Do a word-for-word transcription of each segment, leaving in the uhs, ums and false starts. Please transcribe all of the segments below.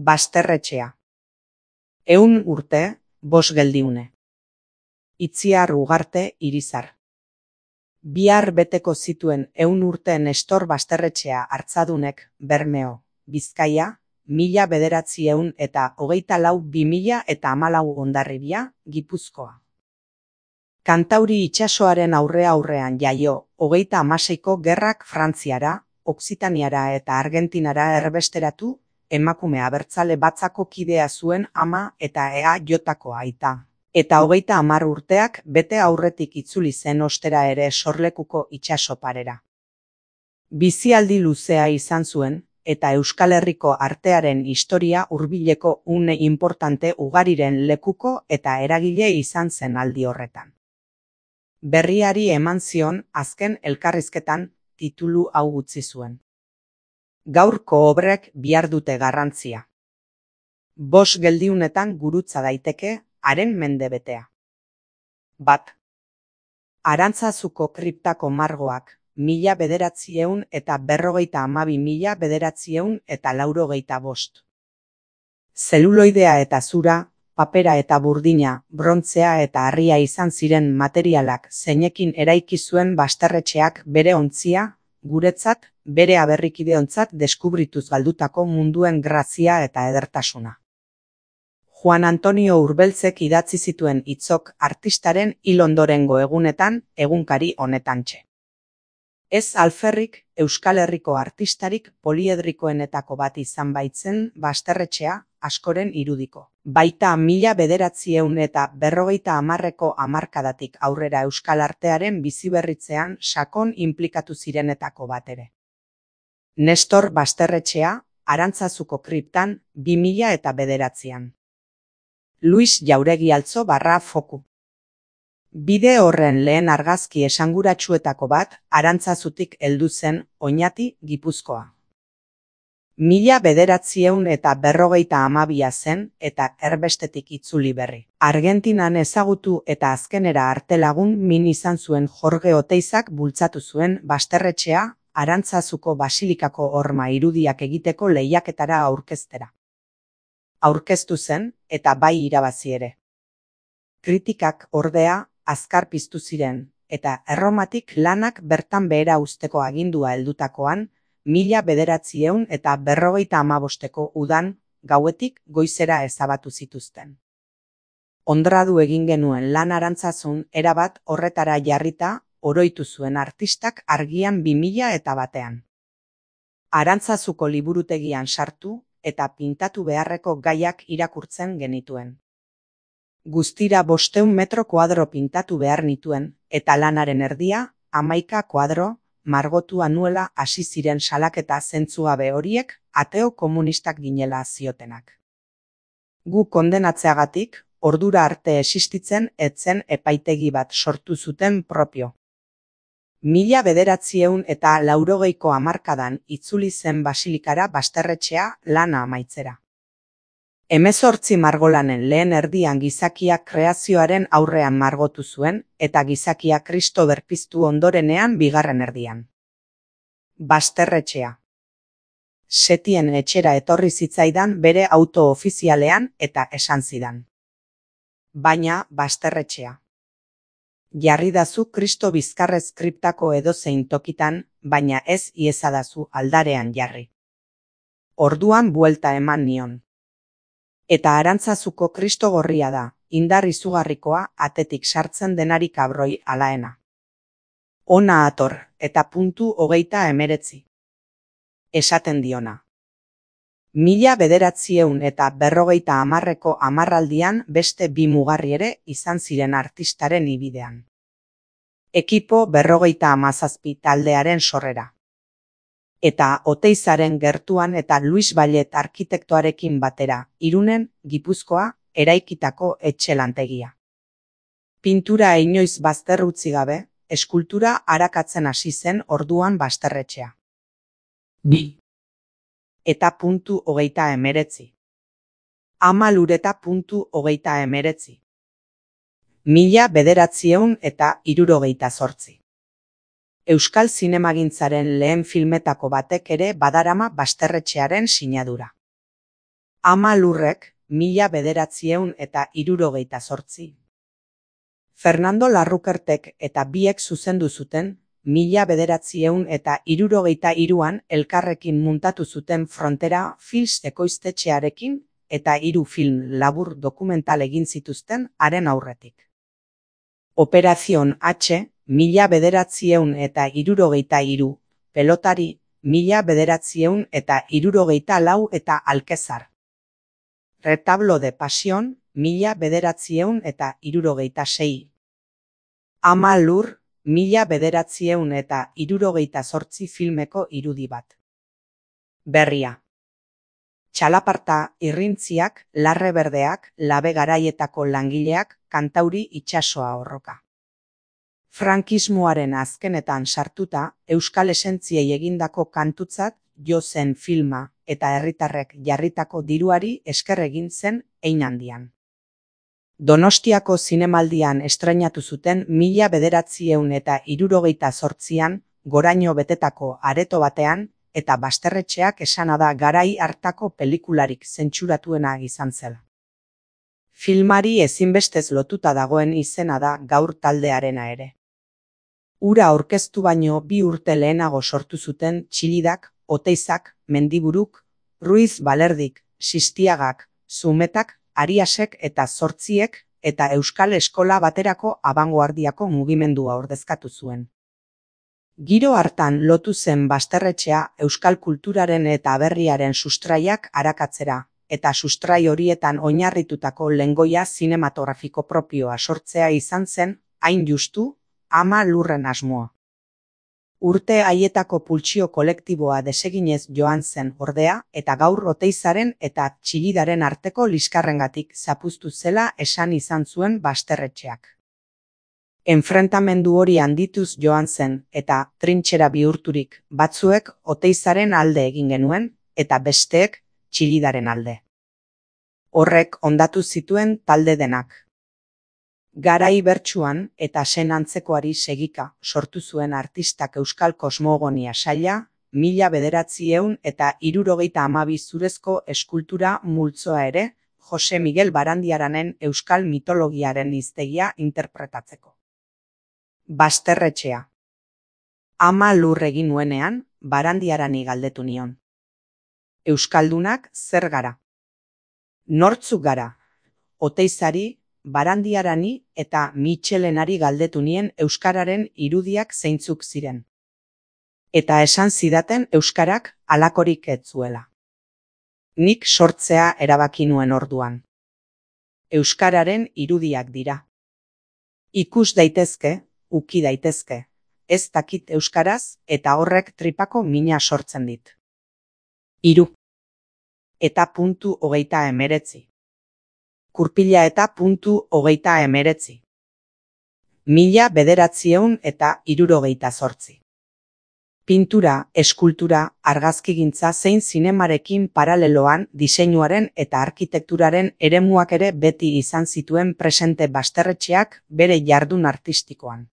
Basterretxea. Ehun urte, bost geldiune. Itziar Ugarte Irizar. Bihar beteko zituen ehun urte Nestor Basterretxea hartzadunek, Bermeo, Bizkaia, mila bederatziehun eta hogeita lau bi mila eta hamalau Hondarribia, Gipuzkoa. Kantauri itsasoaren aurre aurrean jaio, hogeita hamaseiko gerrak Frantziara, Okzitaniara eta Argentinara erbesteratu, emakume abertzale batzako kidea zuen ama eta ea jotako aita. Eta hogeita hamar urteak bete aurretik itzuli zen ostera ere sorlekuko itsaso parera. Bizialdi luzea izan zuen, eta Euskal Herriko artearen historia hurbileko une importante ugariren lekuko eta eragile izan zen aldi horretan. Berriari eman zion azken elkarrizketan titulu hau utzi zuen. Gaurko obrek bihar dute garrantzia. Bost geldiunetan gurutza daiteke haren mendebetea. Bat. Arantzazuko kriptako margoak, mila bederatziehun eta berrogeita hamabi mila bederatziehun eta laurogeita bost. Zeluloidea eta zura, papera eta burdina, brontzea eta harria izan ziren materialak zeinekin eraiki zuen Basterretxeak bere ontzia, guretzat, bere aberrikideontzat deskubrituz galdutako munduen grazia eta edertasuna. Juan Antonio Urbeltzek idatzi zituen hitzok artistaren hil ondorengo egunetan, egunkari honetantxe. Ez alferrik, Euskal Herriko artistarik poliedrikoenetako bat izan baitzen Basterretxea askoren irudiko. Baita mila bederatziehun eta berrogeita hamarreko hamarkadatik aurrera euskal artearen biziberritzean sakon inplikatu zirenetako bat ere. Nestor Basterretxea, Arantzazuko kriptan, bi mila eta bederatzian. Luis Jauregi Altzo barra foku. Bide horren lehen argazki esanguratsuetako bat Arantzazutik heldu zen Oñati, Gipuzkoa. Mila bederatziehun eta berrogeita hamabia zen eta erbestetik itzuli berri. Argentinan ezagutu eta azkenera artelagun min izan zuen Jorge Oteizak bultzatu zuen Basterretxea Arantzazuko basilikako horma irudiak egiteko lehiaketara aurkeztera. Aurkeztu zen eta bai irabazi ere. Kritikak ordea azkar piztu ziren eta Erromatik lanak bertan behera uzteko agindua heldutakoan, mila bederatziehun eta berrogeita hamabosteko udan gauetik goizera ezabatu zituzten. Ondradu egin genuen lan Arantzazun erabat horretara jarrita oroitu zuen artistak argian bi mila eta batean. Arantzazuko liburutegian sartu eta pintatu beharreko gaiak irakurtzen genituen. Guztira bosteun metro kuadro pintatu behar nituen eta lanaren erdia, hamaika kuadro, margotua nuela hasi ziren salaketa zentzugabe horiek ateo komunistak ginela ziotenak. Gu kondenatzeagatik, ordura arte existitzen etzen epaitegi bat sortu zuten propio. Mila bederatziehun eta laurogeiko hamarkadan itzuli zen basilikara Basterretxea lana amaitzera. Hemezortzi margolanen lehen erdian gizakia kreazioaren aurrean margotu zuen eta gizakia Kristo berpiztu ondorenean bigarren erdian. Basterretxea. Setien etxera etorri zitzaidan bere auto ofizialean eta esan zidan. Baina Basterretxea. Jarridazu Kristo bizkarrez kriptako edozein tokitan, baina ez iezadazu aldarean jarri. Orduan buelta eman nion. Eta Arantzazuko Kristo gorria da, indar izugarrikoa atetik sartzen denarik abroi alaena. Ona ator, eta puntu hogeita emeretzi. Esaten diona. Mila bederatziehun eta berrogeita hamarreko hamarraldian beste bi mugarri ere izan ziren artistaren ibidean. Ekipo berrogeita hamazazpi taldearen sorrera. Eta Oteizaren gertuan eta Luis Ballet arkitektoarekin batera, Irunen, Gipuzkoa, eraikitako etxelantegia. Pintura inoiz bazter utzi gabe, eskultura arakatzen hasi zen orduan Basterretxea. Bi. Eta puntu hogeita emeretzi. Ama lureta puntu hogeita emeretzi. Mila bederatziehun eta hirurogeita zortzi. Euskal zinemagintzaren lehen filmetako batek ere badarama Basterretxearen sinadura. Ama lurrek, mila bederatziehun eta hirurogeita zortzi. Fernando Larrukertek eta biek zuzendu zuten, mila bederatziehun eta hirurogeita hiruan elkarrekin muntatu zuten Frontera Films ekoiztetxearekin eta hiru film labur dokumental egin zituzten haren aurretik. Operación H, mila bederatziehun eta hirurogeita hiru, Pelotari, mila bederatziehun eta hirurogeita lau eta Alkezar. Retablo de Pasión, mila bederatziehun eta hirurogeita sei. Ama lur, mila bederatziehun eta hirurogeita zortzi filmeko irudi bat. Berria. Txalaparta, irrintziak, larre berdeak, labe garaietako langileak, kantauri itsasoa horroka. Frankismoaren azkenetan sartuta, euskal esentziei egindako kantutzat jo zen filma eta herritarrek jarritako diruari esker egin zen hein handian. Donostiako zinemaldian estreinatu zuten mila bederatziehun eta hirurogeita zortzian goraino betetako areto batean eta Basterretxeak esana da garai hartako pelikularik zentsuratuena izan zela. Filmari ezinbestez lotuta dagoen izena da gaur taldearena ere. Ura aurkeztu baino bi urte lehenago sortu zuten Txilidak, Oteizak, Mendiburuk, Ruiz Balerdik, Sistiagak, Zumetak, Ariasek eta Zortziek eta Euskal Eskola Baterako abangoardiako mugimendua ordezkatu zuen. Giro hartan lotu zen Basterretxea euskal kulturaren eta aberriaren sustraiak arakatzera, eta sustrai horietan oinarritutako lengoia zinematografiko propioa sortzea izan zen, hain justu, ama lurren asmoa. Urte haietako pultsio kolektiboa deseginez joan zen ordea eta gaur Oteizaren eta Txilidaren arteko liskarrengatik zapuztu zela esan izan zuen Basterretxeak. Enfrentamendu hori handituz joan zen eta trintxera bihurturik batzuek Oteizaren alde egin genuen eta besteek Txilidaren alde. Horrek hondatu zituen talde denak. Garai bertsuan eta sen antzekoari segika sortu zuen artistak euskal kosmogonia saila, mila bederatziehun eta hirurogeita hamabi zurezko eskultura multzoa ere, Jose Miguel Barandiaranen euskal mitologiaren hiztegia interpretatzeko. Basterretxea. Ama lur egin nuenean, Barandiarani galdetu nion. Euskaldunak zer gara? Nortzuk gara? Oteizari, Barandiarani eta Mitxelenari galdetu nien euskararen irudiak zeintzuk ziren. Eta esan zidaten euskarak halakorik ez zuela. Nik sortzea erabaki nuen orduan. Euskararen irudiak dira. Ikus daitezke, uki daitezke, ez dakit euskaraz eta horrek tripako mina sortzen dit. Hiru. Eta puntu hogeita hemeretzi. Kurpila eta puntu hogeita hemeretzi. Mila bederatziehun eta hirurogeita zortzi. Pintura, eskultura, argazkigintza zein zinemarekin paraleloan diseinuaren eta arkitekturaren eremuak ere beti izan zituen presente Basterretxeak bere jardun artistikoan.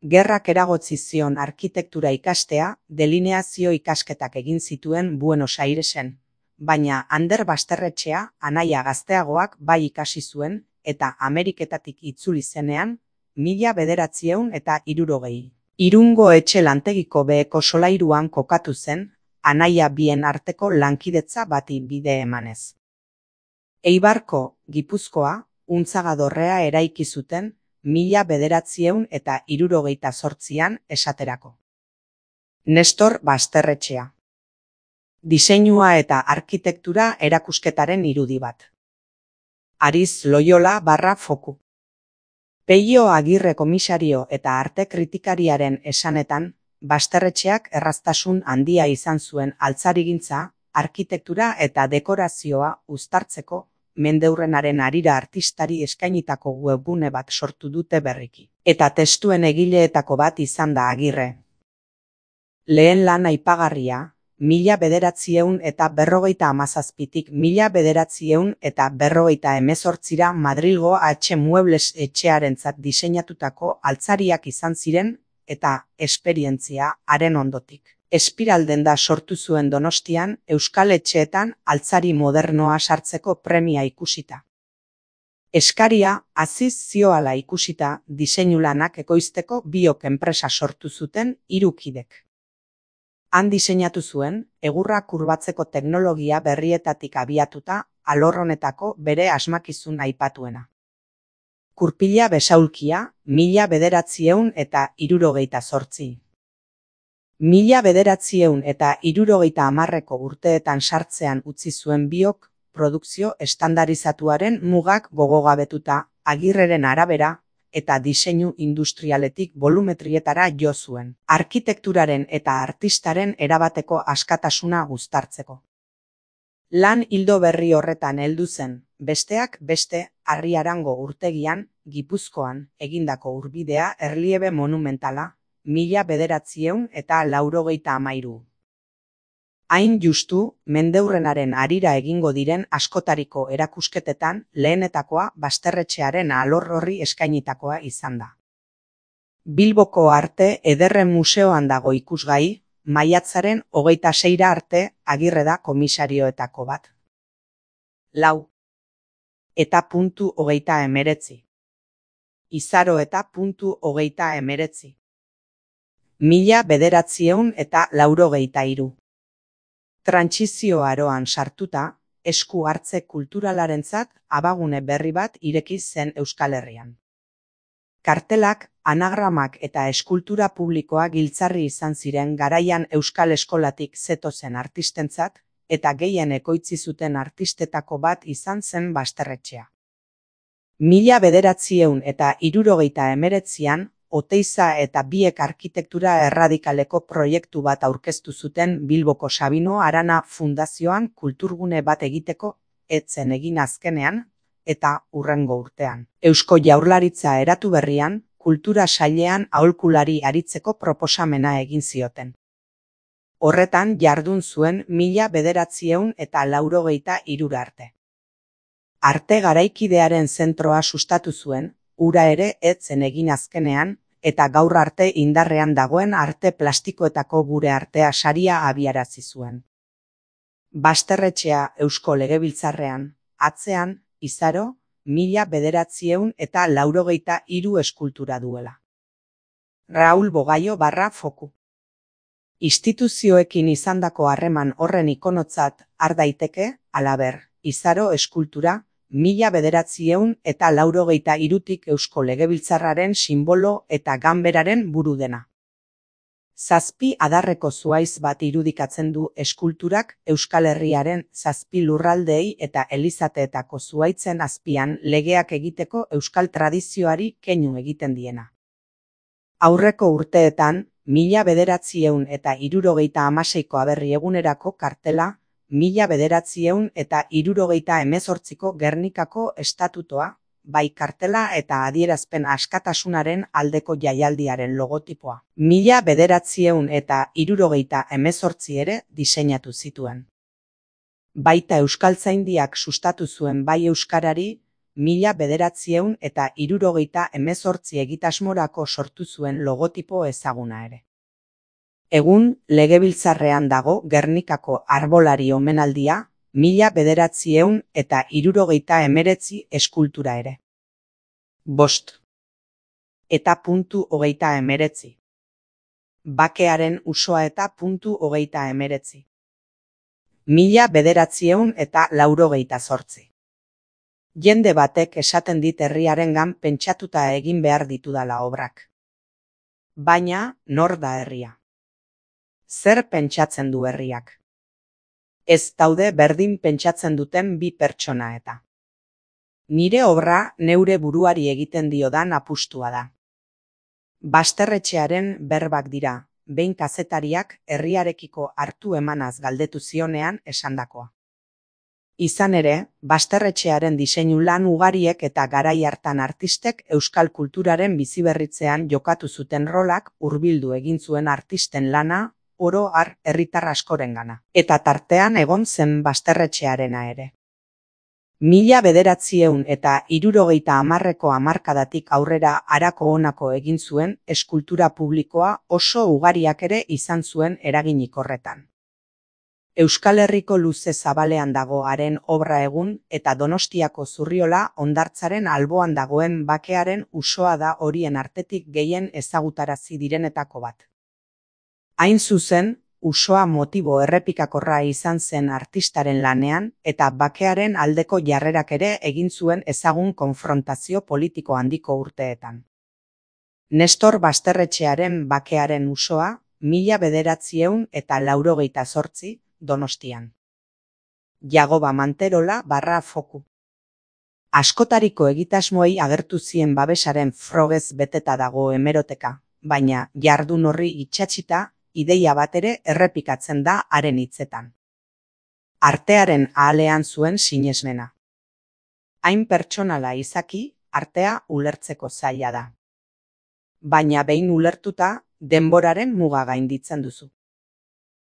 Gerrak eragotzi zion arkitektura ikastea, delineazio ikasketak egin zituen Buenos Airesen, baina Ander Basterretxea anaia gazteagoak bai ikasi zuen eta Ameriketatik itzuli zenean, mila bederatziehun eta hirurogei. Irungo etxe lantegiko beheko solairuan kokatu zen, anaia bien arteko lankidetza bati bide emanez. Eibarko, Gipuzkoa, Untzagadorrea eraiki zuten, mila bederatziehun eta hirurogeita zortzian esaterako. Nestor Basterretxea. Diseinua eta arkitektura erakusketaren irudi bat. Ariz Loyola barra foku. Peio Agirre komisario eta arte kritikariaren esanetan, Basterretxeak erraztasun handia izan zuen altzarigintza, arkitektura eta dekorazioa uztartzeko, mendeurrenaren harira artistari eskainitako webgune bat sortu dute berriki. Eta testuen egileetako bat izan da Agirre. Lehen lan aipagarria, mila bederatziehun eta berrogeita hamazazpitik mila bederatziehun eta berrogeita hemezortzira Madrilgo H. Muebles etxearentzat diseinatutako altzariak izan ziren eta esperientzia haren ondotik. Espiraldenda sortu zuen Donostian euskal etxeetan altzari modernoa sartzeko premia ikusita. Eskaria aziz zioala ikusita diseinu lanak ekoizteko biok enpresa sortu zuten hiru kidek. Han diseinatu zuen, egurra kurbatzeko teknologia berrietatik abiatuta alor honetako bere asmakizun aipatuena. Kurpila besaulkia, mila bederatziehun eta hirurogeita zortzi. Mila bederatziehun eta hirurogeita hamarreko urteetan sartzean utzi zuen biok, produkzio estandarizatuaren mugak gogogabetuta, Agirreren arabera, eta diseinu industrialetik volumetrietara jo zuen, arkitekturaren eta artistaren erabateko askatasuna uztartzeko. Lan ildo berri horretan heldu zen, besteak beste, Arriarango urtegian, Gipuzkoan, egindako urbidea erliebe monumentala, mila bederatziehun eta laurogeita hamairu. Hain justu, mendeurrenaren harira egingo diren askotariko erakusketetan lehenetakoa Basterretxearen alor horri eskainitakoa izan da. Bilboko Arte Ederren Museoan dago ikusgai, maiatzaren hogeita seira arte Agirre da komisarioetako bat. Lau. Eta puntu hogeita emeretzi. Izaro eta puntu hogeita emeretzi. Mila bederatziehun eta laurogeita hiru. Trantsizio aroan sartuta, esku hartze kulturalarentzat abagune berri bat ireki zen Euskal Herrian. Kartelak, anagramak eta eskultura publikoa giltzarri izan ziren garaian Euskal Eskolatik zetozen artistentzat, eta gehien ekoitzi zuten artistetako bat izan zen Basterretxea. Mila bederatziehun eta hirurogeita hemeretzian, Oteiza eta biek arkitektura erradikaleko proiektu bat aurkeztu zuten Bilboko Sabino Arana Fundazioan kulturgune bat egiteko, etzen egin azkenean, eta hurrengo urtean. Eusko Jaurlaritza eratu berrian, kultura sailean aholkulari aritzeko proposamena egin zioten. Horretan jardun zuen mila bederatziehun eta laurogeita hirura arte. Arte garaikidearen zentroa sustatu zuen, ura ere etzen egin azkenean, eta gaur arte indarrean dagoen arte plastikoetako gure artea saria abiarazi zuen. Basterretxea Eusko Legebiltzarrean, atzean, Izaro, mila bederatziehun eta laurogeita hiru eskultura duela. Raul Bogaio barra foku. Instituzioekin izandako harreman horren ikonotzat har daiteke, halaber, Izaro eskultura, mila bederatziehun eta laurogeita hirutik Eusko Legebiltzarraren sinbolo eta ganberaren buru dena. Zazpi adarreko zuhaitz bat irudikatzen du eskulturak Euskal Herriaren zazpi lurraldeei eta elizateetako zuhaitzen azpian legeak egiteko euskal tradizioari keinu egiten diena. Aurreko urteetan, mila bederatziehun eta hirurogeita hamaseiko aberri egunerako kartela, mila bederatziehun eta hirurogeita hemezortziko Gernikako estatutoa, bai kartela eta adierazpen askatasunaren aldeko jaialdiaren logotipoa. Mila bederatziehun eta hirurogeita hemezortzi ere diseinatu zituen. Baita Euskaltzaindiak sustatu zuen bai euskarari, mila bederatziehun eta hirurogeita hemezortzi egitasmorako sortu zuen logotipo ezaguna ere. Egun, Legebiltzarrean dago Gernikako arbolari omenaldia, mila bederatziehun eta hirurogeita hemeretzi eskultura ere. Bost. Eta puntu hogeita hemeretzi. Bakearen usoa eta puntu hogeita hemeretzi. Mila bederatziehun eta laurogeita zortzi. Jende batek esaten dit herriarengan pentsatuta egin behar ditudala obrak. Baina, nor da herria? Zer pentsatzen du herriak? Ez daude berdin pentsatzen duten bi pertsona eta. Nire obra neure buruari egiten diodan apustua da. Basterretxearen berbak dira, behin kazetariak herriarekiko hartu emanaz galdetu zionean esandakoa. Izan ere, Basterretxearen diseinu lan ugariek eta garai hartan artistek euskal kulturaren biziberritzean jokatu zuten rolak hurbildu egin zuen artisten lana, oro har herritar askorengana, eta tartean egon zen Basterretxearena ere. Mila bederatzieun eta hirurogeita hamarreko hamarkadatik aurrera harako honako egin zuen eskultura publikoa oso ugariak ere izan zuen eraginik horretan. Euskal Herriko luze zabalean dago haren obra egun eta Donostiako Zurriola hondartzaren alboan dagoen bakearen usoa da horien artetik gehien ezagutarazi direnetako bat. Hain zuzen, usoa motibo errepikakorra izan zen artistaren lanean eta bakearen aldeko jarrerak ere egin zuen ezagun konfrontazio politiko handiko urteetan. Nestor Basterretxearen bakearen usoa, mila bederatzieun eta laurogeita zortzi, Donostian. Jagoba Manterola barra foku. Askotariko egitasmoei agertu zien babesaren frogez beteta dago hemeroteka, baina jardun horri itsatsita, ideia bat ere errepikatzen da haren hitzetan. Artearen ahalean zuen sinesmena. Hain pertsonala izaki, artea ulertzeko zaila da. Baina behin ulertuta, denboraren muga gainditzen duzu.